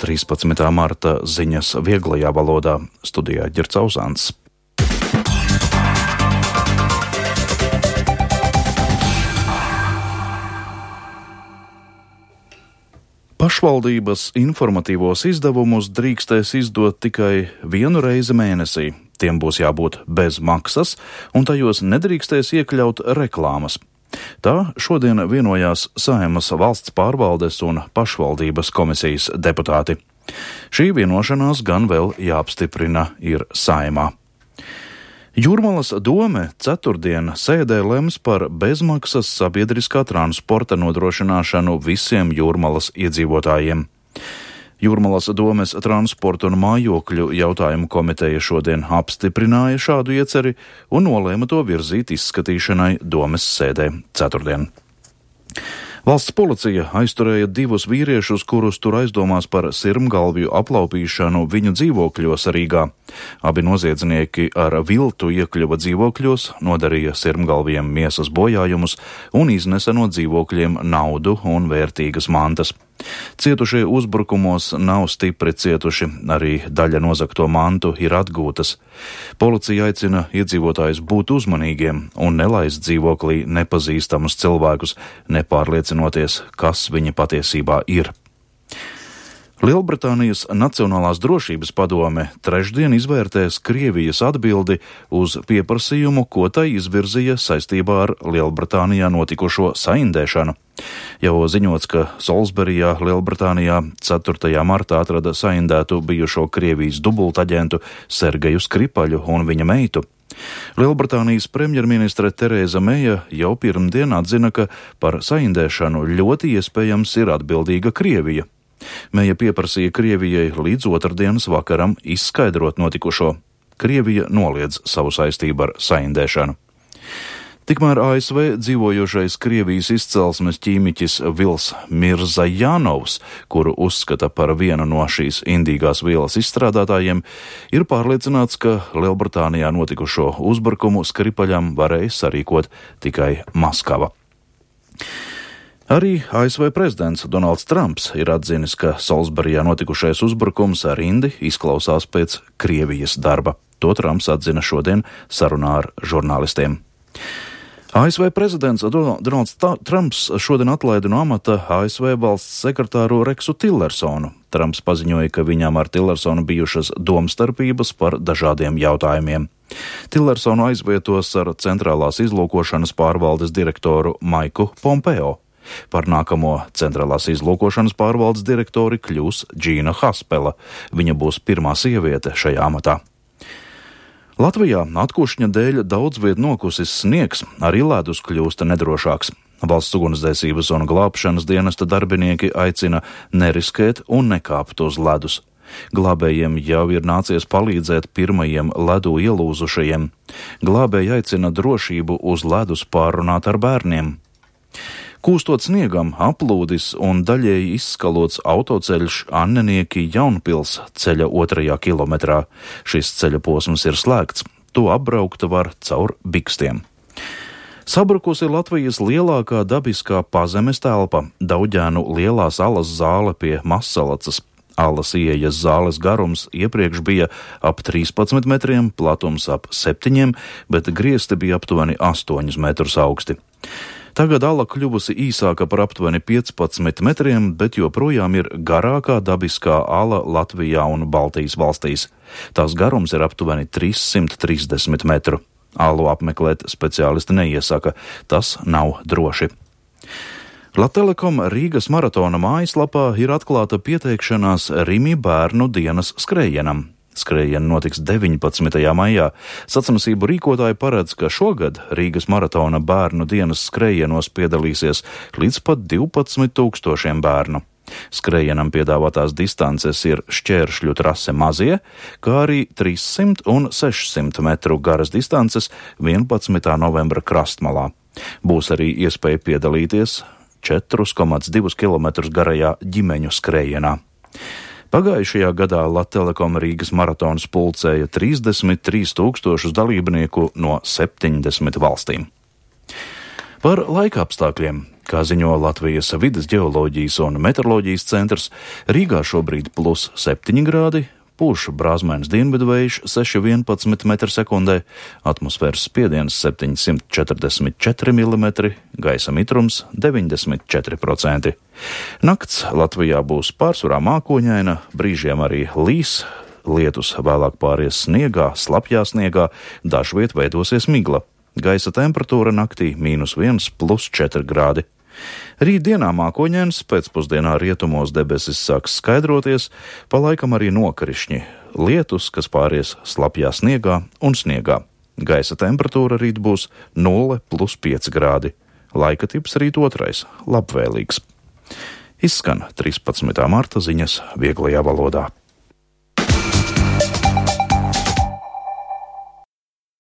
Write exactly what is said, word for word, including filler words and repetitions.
trīspadsmitā marta ziņas vieglajā valodā. Studijā Ģirds Auzāns. Pašvaldības informatīvos izdevumus drīkstēs izdot tikai vienu reizi mēnesī. Tiem būs jābūt bez maksas, un tajos nedrīkstēs iekļaut reklāmas. Tā šodien vienojās Saeimas valsts pārvaldes un pašvaldības komisijas deputāti. Šī vienošanās gan vēl jāapstiprina ir Saeimā. Jūrmalas dome ceturtdien sēdē lems par bezmaksas sabiedriskā transporta nodrošināšanu visiem Jūrmalas iedzīvotājiem. Jūrmalas domes transporta un mājokļu jautājumu komiteja šodien apstiprināja šādu ieceri un nolēma to virzīt izskatīšanai domes sēdē ceturtdien. Valsts policija aizturēja divus vīriešus, kurus tur aizdomās par sirmgalvju aplaupīšanu viņu dzīvokļos Rīgā. Abi noziedznieki ar viltu iekļuva dzīvokļos, nodarīja sirmgalviem miesas bojājumus un iznesa no dzīvokļiem naudu un vērtīgas mantas. Cietušie uzbrukumos nav stipri cietuši, arī daļa nozagto mantu ir atgūtas. Policija aicina iedzīvotājus būt uzmanīgiem un nelaist dzīvoklī nepazīstamus cilvēkus, nepārliecinoties, kas viņi patiesībā ir. Lielbritānijas Nacionālās drošības padome trešdien izvērtēs Krievijas atbildi uz pieprasījumu, ko tai izvirzīja saistībā ar Lielbritānijā notikušo saindēšanu. Jau ziņots, ka Solsberijā, Lielbritānijā ceturtajā martā atrada saindētu bijušo Krievijas dubultaģentu Sergeju Skripaļu un viņa meitu. Lielbritānijas premjerministre Tereza Meja jau pirmdien atzina, ka par saindēšanu ļoti iespējams ir atbildīga Krievija. Meja pieprasīja Krievijai līdz otrdienas vakaram izskaidrot notikušo. Krievija noliedz savu saistību ar saindēšanu. Tikmēr A S V dzīvojošais Krievijas izcelsmes ķīmiķis Vils Mirzajanovs, kuru uzskata par vienu no šīs indīgās vielas izstrādātājiem, ir pārliecināts, ka Lielbritānijā notikušo uzbrukumu Skripaļam varēja sarīkot tikai Maskava. Arī A S V prezidents Donalds Trumps ir atzinis, ka Solsberijā notikušais uzbrukums ar indi izklausās pēc Krievijas darba. To Trumps atzina šodien sarunā ar žurnālistiem. A S V prezidents Donalds Trumps šodien atlaida no amata A S V valsts sekretāru Reksu Tillersonu. Trumps paziņoja, ka viņam ar Tillersonu bijušas domstarpības par dažādiem jautājumiem. Tillersonu aizvietos ar centrālās izlūkošanas pārvaldes direktoru Maiku Pompeo. Par nākamo centrālās izlūkošanas pārvaldes direktori kļūs Džīna Haspela. Viņa būs pirmā sieviete šajā amatā. Latvijā atkušņa dēļ daudz viet nokusis sniegs, arī ledus kļūst nedrošāks. Valsts ugunsdzēsības un glābšanas dienesta darbinieki aicina neriskēt un nekāpt uz ledus. Glābējiem jau ir nācies palīdzēt pirmajiem ledu ielūzušajiem. Glābēji aicina drošību uz ledus pārunāt ar bērniem. Kūstot sniegam, aplūdis un daļēji izskalots autoceļš Annenieki Jaunpils ceļa otrajā kilometrā. Šis ceļa posms ir slēgts. To apbraukt var caur bikstiem. Sabrukusi Latvijas lielākā dabiskā pazemes telpa – Dauģēnu lielās alas zāle pie Mazsalacas. Alas ieejas zāles garums iepriekš bija ap trīspadsmit metriem, platums ap septiņiem, bet griesti bija aptuveni astoņus metrus augsti. Tagad ala kļuvusi īsāka par aptuveni piecpadsmit metriem, bet joprojām ir garākā dabiskā ala Latvijā un Baltijas valstīs. Tās garums ir aptuveni trīssimt trīsdesmit metru. Alu apmeklēt speciālisti neiesaka, tas nav droši. Latelekom Rīgas maratona mājaslapā ir atklāta pieteikšanās Rimi bērnu dienas skrējienam. Skrējiena notiks deviņpadsmitajā maijā. Sacensību rīkotāji paredz, ka šogad Rīgas maratona bērnu dienas skrējienos piedalīsies līdz pat divpadsmit tūkstošiem bērnu. Skrējienam piedāvātās distances ir šķēršļu trase Mazie, kā arī trīssimt un sešsimt metru garas distances vienpadsmitā novembra Krastmalā. Būs arī iespēja piedalīties četri komats divi kilometri garajā ģimeņu skrējienā. Pagājušajā gadā Latelekom Rīgas maratons pulcēja trīsdesmit trīs tūkstošus dalībnieku no septiņdesmit valstīm. Par laika apstākļiem. Kā ziņo Latvijas vides ģeoloģijas un meteoroloģijas centrs, Rīgā šobrīd plus septiņi grādi, pūš brāzmēns dienvidu vējš seši vienpadsmit metri sekundē, atmosfēras spiediens septiņsimt četrdesmit četri milimetri, gaisa mitrums deviņdesmit četri procenti. Nakts Latvijā būs pārsvarā mākoņaina, brīžiem arī līs, lietus vēlāk pāries sniegā, slapjā sniegā, dažviet veidosies migla. Gaisa temperatūra naktī mīnus viens plus četri grādi. Rītdienā mākoņains, pēcpusdienā rietumos debesis sāks skaidroties, pa laikam arī nokrišņi, lietus, kas pāries slapjā sniegā un sniegā. Gaisa temperatūra rīt būs nulle plus pieci grādi. Laika tips rīt otrais - labvēlīgs. Izskan trīspadsmitā marta ziņas vieglajā valodā.